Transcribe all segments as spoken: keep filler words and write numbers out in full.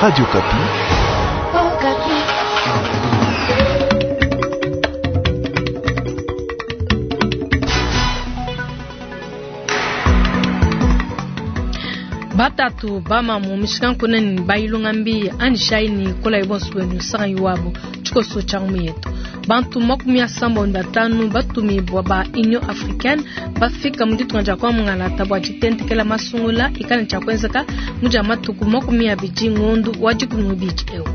Radio Okapi. Batatu bamamu mishikankuneni bayilunga mbi anishaini kola ibonso bwenu sanga iwabo tshikoso tsha ngumu yetu bantu makumi asambo ne batanu batumibwa ba Union Africaine bafika mu ditunga dia kwa mungalata bua ditentekela masungula ikala tshia kuenzeka mu dia matuku makumi abidi ngondu wa dikumi n'ibidi eu.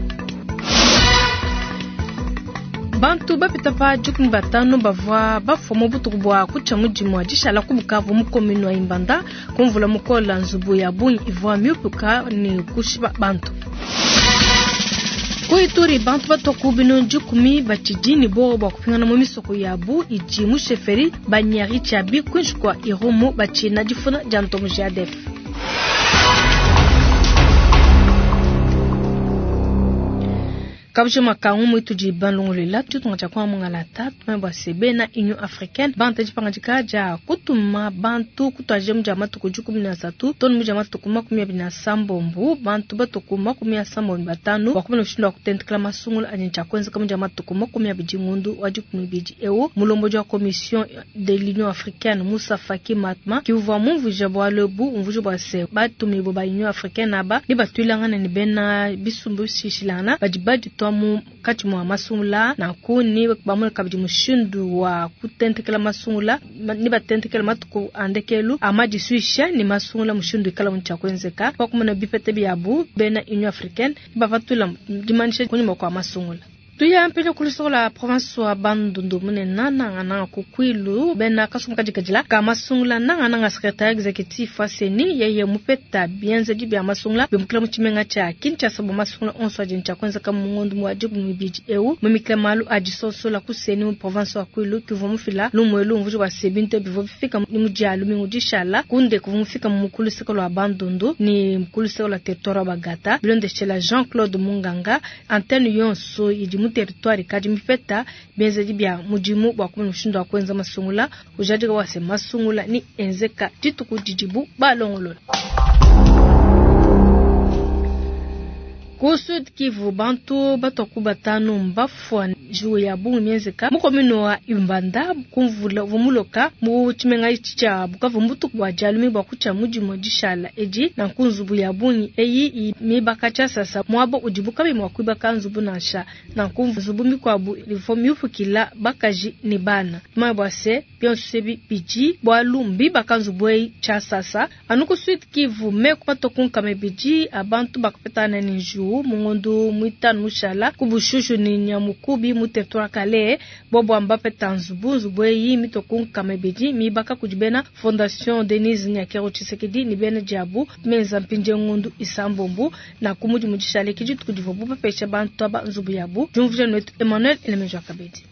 Bantu bapita pa dikumi batanu bavua bafua mu butuku bua kutshia mudimu wa dishala ku Bukavu mu commune wa Ibanda kumvula mukola nzubu ya bungi ivua miupuka ne kushipa bantu. Ku Ituri bantu batua ku binunu dikumi batshidi ne bowa bua kupingana mu misoko yabu idi mu chefferie Banyari Tshiabi kuinshi kua Irumu batshina difuna dia ntomo G A D F. Kabujima kangu mwitudi banlongolela tutunga tshia kwa mungalata tumwe bua se bena Union Africaine banta dipanga dia kutuma bantu kutuaje mu dia matuku dikumi na asatu tonu mu dia matuku makumi abidi na sambombo bantu batuku makumi asambo ne batanu bua kumona mushindu wa kutentekela masungula adi tshia kuenzeka mu dia matuku makumi abidi ngondu wa dikumi n'ibidi eu mulombodi wa commission de l'Union Africaine Moussa Faki Mahamat kivua mumvuija bualu ebu umvuija bua se batumibue ba Union Africaine aba ne batuilangana ne bena bisumbu bishilangana badi baditua mu kati mwa masungula na kuni bamwe kabidi mushindu wa kutentekela masungula ni batentekela matuku andekelu amadisuisha ni masungula mushindu ikala mu tshia kuenzeka kwa kumona bipete byabu bena Union Africaine bavatula dimanisha kunyuma kwa masungula. Tuya mpele kulisola province wa Bandundu munene nanga nanga kukwilu bena kasumbu kadikadila ka masungula nanga nanga secrétaire exécutif wa CENI yeye mupeta bienzedi bia masungula bimukila mu tshimenga tshia Kinshasa bua masungula onso adi tshia kuenzeka mu ngondu wa dikumi n'ibidi eu mumikila malu adisosola ku CENI mu province wa Kwilu kivua mufila lumuelu mvuji wa sebinto bivua bifika mu dia lumingu dishala kunde kuvua mufika mu mukulu seko lwa Bandundu ni mukulu seko lwa territoire wa Bagata bilondeshela Jean-Claude Munganga antenne yonso idi mu territoire kadi mipeta bienzedi bia mudimu bua kumona mushindu wa kuenza masungula ujadika wa se masungula ni enzeka dituku didibu balongolola. Ku Sud Kivu bantu batoku batanu mbafua njiwu ya bungi mienzeka mu commune wa Ibanda kumvula vumuloka mu tshimenga itshi tshia Bukavu mbutuku bua dialumi bua kutshia mudimu dishala edi na nkunzubu ya bungi eyi mibaka tshia sasa muabo udibu kabi mua kuibaka nzubu nansha na nkunzubu mikuabu ivua miupukila bakaji ne bana tumanye bua se bionso ebi bidi bualu mbibaka nzubu eyi tshia sasa anu ku Sud Kivu meku matoku nkama ibidi abantu bakapetana ne njiwu mungondu mwitanu mushala kubushushu ni nyamukubi mu territoire Kale bobo ambapeta nzubu nzubu eyi mitoku nkama ibidi mibaka kudi bena Fondation Denise Nyakeru Tshisekedi ni bena diabu menza mpindie ngondu isambombu na kumudi mudishale kidi tukudivo bupepesha bantu aba nzubu yabu jumvuja netu Emmanuel Elemejo Kabedi.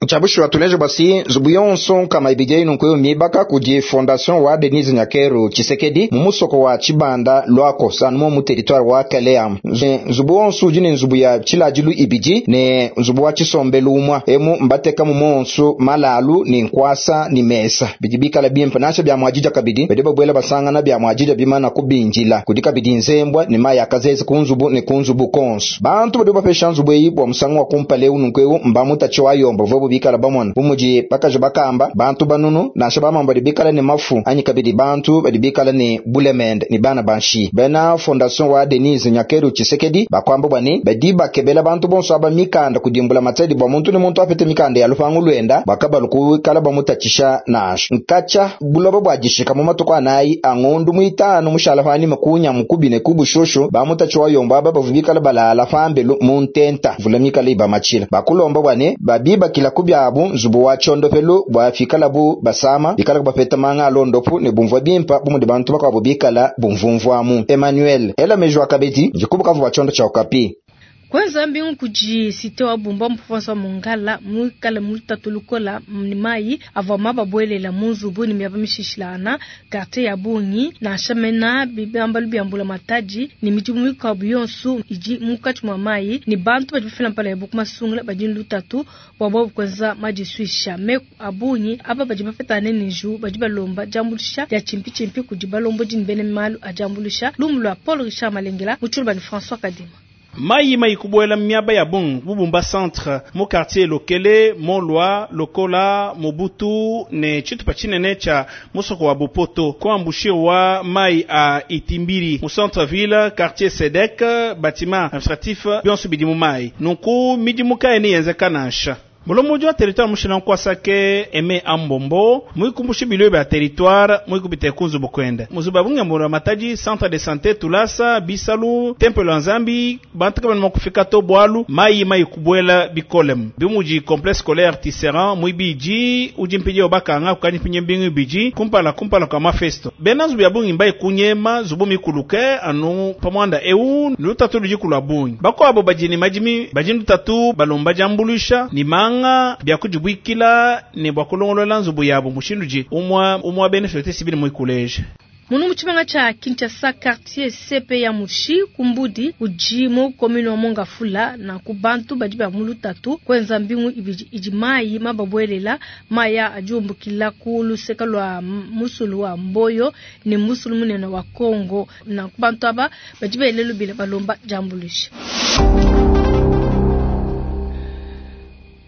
Chabushu tuleje basi nzubu yonso nkama ibidi nunkuyo mibaka kudi Fondation wa Denise Nyakeru Tshisekedi mu musoko wa Tshibanda lwako sanumo mu territoire wa Kalea. Nzubu yonso udi ne nzubu ya tshilajilu ibidi ne nzubu wa tshisombelu umwa emu mbateka mu monso malalu ni nkwasa ni mesa bidi bikala bimpe nansha bya mwajija kabidi badi babwela basangana bya mwajija bimana kubinjila kudi kabidi nzembwa ne maya kazezi ku nzubu ne ku nzubu konso bantu badi bapesha nzubu eyi bua musangu wa kumpala eu nunkueu mbamutachi wa yomba vobu bikala bamona bumuji bakaji bakamba bantu banunu nansha bamamba badi bikala ne mafu anyi kabidi bantu badi bikala ne bulemende ni bana banshi bena Fondation wa Denise Nyakeru Tshisekedi bakwamba bwani badi bakebela bantu bonso aba mikanda kudimbula matsedi bwa muntu ne muntu apete mikanda ya lupangu lwenda bakabalu kukala bamutatshisha nansha nkacha buloba bwa dishika mu matuku anayi angondu muitanu mushala pani makunya mukubi ne kubushushu bamutachi wa yomba aba bavubikala balala pambelu mu ntenta vula mikala ibamachila bakulomba bwani babibakila kubyabu nzubu wa tshondopelu bua fikala bu basama bikala bapeta manga alondopu ne bumvua bimpa bumudi bantu bakuabu bikala bumvumvuamu. Emmanuel ela mejo akabedi njikubukavu bua tshondo tshia Okapi. Kwanza mbingu kuji site wa Bumba mu province wa Mongala mwikale mulutatu lukola ni mai avua mababwelela mu nzubu ni miaba mishishilana quartier ya Bungi na shamena bibambalu byambula mataji ni midimu mikuabu yonso idi munkatshi mua mai ni bantu badi bafila mpala ya buku masungula badi lutatu bua bobu kwenza madisuisha meku abungi aba badi bapetane ni nju badi balomba diambulusha dia tshimpi kudi balombodi ni bene malu a diambulusha lumu lua Paul Richard Malengela mu tshilubani François Kadima. Mai mai kubuela miaba ya bungi bubumba centre mu quartier Lokele, Molwa, Lokola, Mobutu ne tshitupa tshinene tshia musoko wa Bopoto kuambushirwa mai a Itimbiri mu centre ville quartier Sedek bâtiment administratif bionso bidi mu mai nunku midimu kayena yenzeka nansha. Mulombodi wa territoire mushina nkwasake eme ambombo muikumbushi bilio bya territoire muikubite kunzu bukwenda muzuba bunge matadi centre de santé tulasa bisalu temple ya nzambi bantu kabana makufika to bwalu mai mai kubwela bikolem bimuji complexe scolaire Tisserand muibiji udi mpidi obakanga kukanyi pinye mbingu biji kumpala kumpala kwa mafesto bena zubu ya bungi mbai kunyema zubu mikuluke anu pamwanda eu lutatu lujikula bungi bakwabo bajini majimi bajini lutatu balomba jambulusha ni manga bya kujibwikila ne bwa kulongolola nzubu yabo mushindu umwa umwa benefit sibili muikuleje. Munu muchimanga cha Kinshasa quartier C P ya Mushi kumbudi ujimo commune wa Mongafula na kubantu badi ba mulutatu kwenza mbingu ibiji ijimai mababwelela maya ajumbukila ku luseka lwa musulu wa Mboyo ni musulu munene wa Kongo na kubantu aba badi belelu bila balomba jambulisha.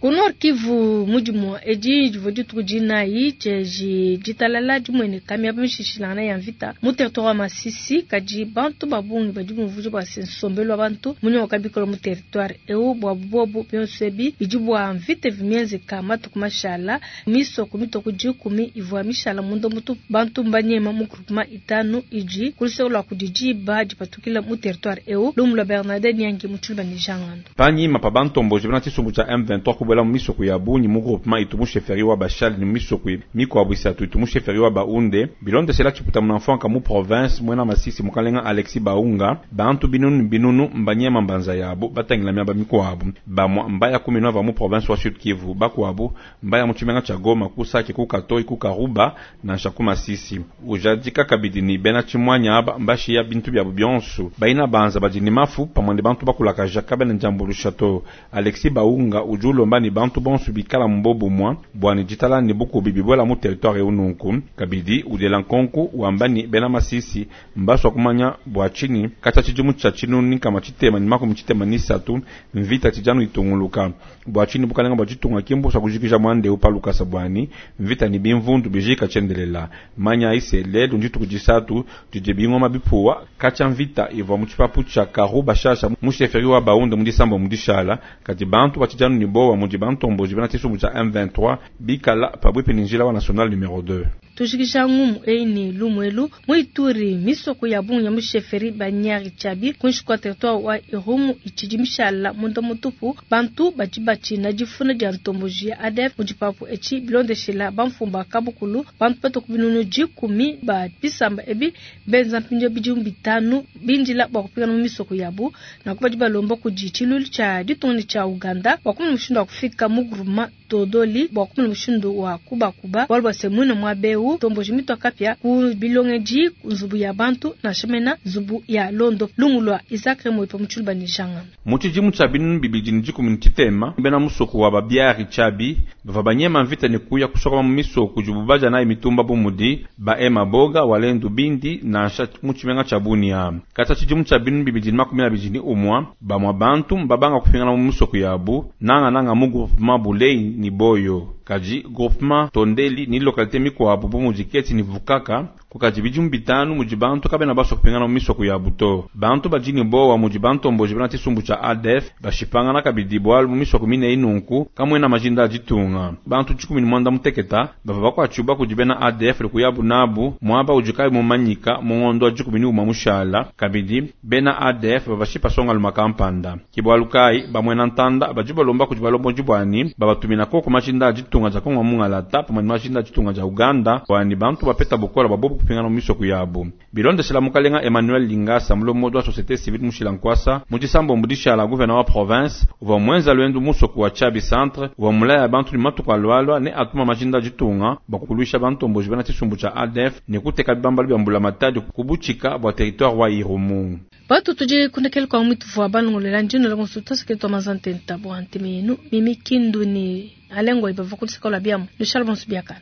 Ku Kivu mudimu edi divua dituku dinayi tshieji ditalala dimwene kamia bamishishilangana ya mvita mu territoire wa Masisi kadi bantu babungi badi bumvuja bua se nsombelu wa bantu munyoka bikolo mu territoire eu bua bobu bionso ebi bidi bua mvita vimienzeka matuku mashala misoko mitoko dikumi ivua mishala munda mutu bantu mbanyema mu groupement itanu idi kuluseko lua kudi diba dipatukila mu territoire eu lumu lua Bernadette Nyangi mu Tshiluba ne Jangando panyima pa bantomboji bena tshisumbu tshia M vingt-trois kubwela mu misoko ya bungi mu groupement itu mu chefferie wa Bashali ni misoko mikwabu isatu itu mu chefferie wa Baunde bilondeshela tshiputa munamfanka mu province mwena Masisi mukalenga Alexis Baunga bantu binunu binunu mbanyema mbanza yabo batangila miaba mikwabu bamwa mbaya kumi nova mu province wa Sud Kivu bakwabu mbaya mu tshimenga tshia Goma ku Sake ku Katoi ku Karuba nansha ku Masisi ujadika kabidi ni bena tshimwanya aba mbashiya bintu byabu bionso baina banza badi mafu pamwe ne bantu bakulakaja kabene njambulusha to Alexis Baunga ujulomba ni bantu bonso bikala mbobu mwa bwani jitala ni buku bibibwela mu territoire ununku kabidi udela nkonku wambani bena Masisi mbaswa kumanya bwa chini kata chijimu cha chinuni kama chitema ni makumi chitema ni satu mvita chijanu itunguluka bwa chini bukalenga bwa chitunga kimbo sa kujikija mwande upaluka sabwani mvita ni bimvundu bijika chendelela manya ise lelo njitu kujisatu jijebingoma bipuwa kacha mvita ivwa muchipapu cha Karuba shasha musheferi wa Baunde mudisambo mudishala kati bantu bachijanu ni bowa mudi bantomboji bena tshisumbu cha M vingt-trois bikala pabwipi ni njila wa national numero deux. Tushikisha ngumu eini lumwelu muituri misoko ya bungi ya musheferi banyari chabi kunshi kwa territoire wa Irumu ichidi mishala munda mutupu bantu badi batshina difuna dia ntomboji ya A D F mudipapu echi bilondeshela bamfumba kabukulu bantu batoku binunu dikumi ba bisamba ebi benza mpindio bidimu bitanu bindila bua kupingana mu misoko yabu na kubadi balomba kudi tshilulu tshia ditunga tshia Uganda bua kumona mushindu wa kufika mu groupement Todoli bua kumona mushindu wa kubakuba bualu bua se muine muaba eu tomboji mitwa kapia ku bilongeji nzubu ya bantu na shemena nzubu ya londo lungulwa Isaac Moipo mutshuluba ni janga mu tshidimu tshia binunu bibidi ne dikumi ne tshitema bena musoko wa babiari tshiabi bava banyema mvita ne kuya kusokoma mu misoko dibu baja nayi mitumba bu mudi ba ema boga walendu bindi nansha mu tshimenga tshia Bunia kata tshidimu tshia binunu bibidi ne makumi abidi ne umwa bamwa bantu mbabanga kupingana mu misoko yabu nanga nanga mu groupement Bulei ni Boyo kaji groupement Tondeli ni localité mikwabu bu mudi Keti ni Vukaka kukaji bidimu bitanu mudi bantu kabena baso kupingana mu misoko ya buto bantu badi bowa mudi bantomboji bena tshisumbu tshia A D F bashipangana kabidi bwalu mu misoko mine inunku kamwena majinda aditunga bantu tshikumi ni mwanda muteketa bava bakwatshuba kudi bena A D F kuyabu nabu mwaba udi mumanyika mungondo wa dikumi ni umwa mushala kabidi bena A D F babashipa songa luma kampanda kibwalu kai bamwena ntanda badi balomba kudi balomboji bwani babatumina koko majinda aditunga ja Kongo mungalata pamwe ni majinda aditunga ja Uganda bwani bantu bapeta bukola babobu kupingana mu misoko yabu bilondeshela mukalenga Emmanuel Lingasa mulomodo wa société civile mushila nkwasa mudisambo mudishala gouverneur wa province uva mwenza lwendu musoko wa Chabi centre uva mulaya bantu ni matuku alwalwa ne atuma majinda aditunga bakukulwisha bantomboji bena tshisumbu tsha A D F ne kuteka bibambalo bya mbula matadi kubuchika bwa territoire wa Irumu. Batu tuje kundekele kwa mwitu vwa balongolela njino la konsulta seketo mazante ntabo antemenu mimi kindu ni alengo ibava kulisaka la biamu le chalbon subiakana.